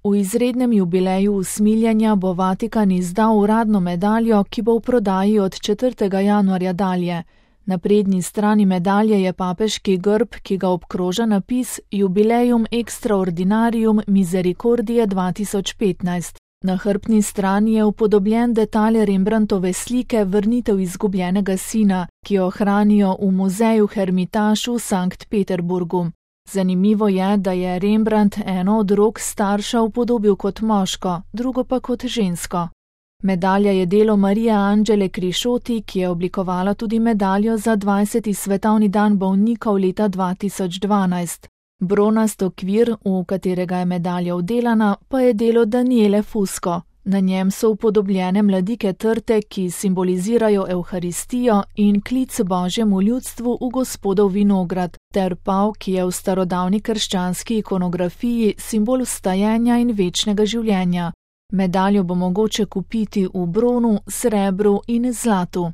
V izrednem jubileju usmiljenja bo Vatikan izdal uradno medaljo, ki bo v prodaji od 4. januarja dalje. Na prednji strani medalje je papeški grb, ki ga obkroža napis Jubileum Extraordinarium Misericordiae 2015. Na hrbtni strani je upodobljen detalj Rembrandtove slike Vrnitev izgubljenega sina, ki jo hranijo v muzeju Hermitage v Sankt Peterburgu. Zanimivo je, da je Rembrandt eno od rok starša upodobil kot moško, drugo pa kot žensko. Medalja je delo Marije Angele Criscioti, ki je oblikovala tudi medaljo za 20. svetovni dan bolnikov leta 2012. Bronast okvir, v katerega je medalja vdelana, pa je delo Daniele Fusco. Na njem so upodobljene mladike trte, ki simbolizirajo Evharistijo in klic Božjemu ljudstvu v Gospodov vinograd, ter pav, ki je v starodavni krščanski ikonografiji simbol vstajenja in večnega življenja. Medaljo bo mogoče kupiti v bronu, srebru in zlatu.